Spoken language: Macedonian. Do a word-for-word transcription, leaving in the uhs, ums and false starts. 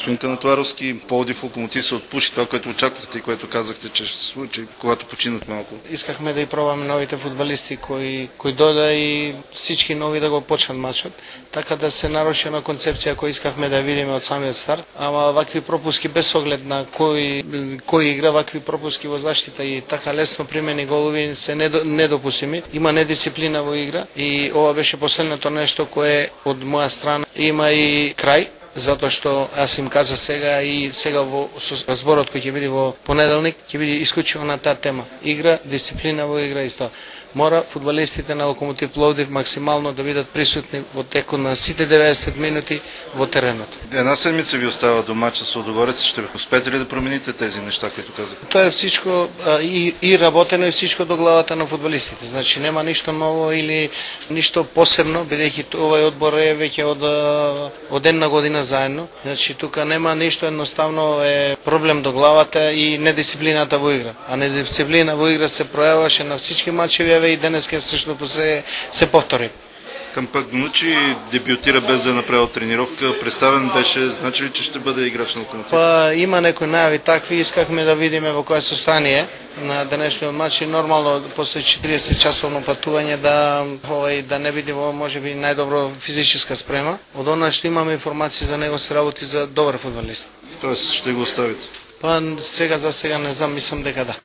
господин Канатоваровски, Пловдив, Локомотив се отпуши това, което очаквахте и което казахте, че ще се случи, когато починат малко. Искахме да и пробаме новите фудбалисти кои кои дојда и всички нови да го почнат мачот, така да се наруши на концепција која искавме да видиме од самиот старт, ама вакви пропуски без оглед на кој кој игра, вакви пропуски во заштита и така лесно примени голови се недопустими. Има недисциплина во игра и ова беше последното нешто кое од моја страна има и крај, затоа што аз им каза сега и сега во разборот кој ќе биде во понеделник ќе биде исклучиво на таа тема. Игра, дисциплина во игра исто. Мора фудбалистите на Локомотив Пловдив максимално да бидат присутни во текот на сите деветдесет минути во теренот. Една седмица ви остава до мача со Лудогорец, ще успеете ли да промените тези нешта които казах? Тоа е всичко а, и, и работено и всичко до главата на фудбалистите. Значи нема ништо ново или ништо посебно, бидејќи овој одбор е веќе од од една година заедно. Значи тука нема ништо, едноставно е проблем до главата и недисциплината во игра. А недисциплина во игра се пројаваше на всички мачеви и денеска същото се се повтори. Кампагнучи дебютира без да е направил тренировка. Представен беше, значи ли, че ще бъде играч на Локомотив? Па има некои најави такви, искахме да видиме во кое состојание на денешниот мач и нормално после четириесет часовно патување да овој да не биде во можеби најдобро физичка спрема. Од она што имаме информации за него се работи за добар фудбалист. Тоест ще го оставите? Па сега за сега не знам, мислам дека да.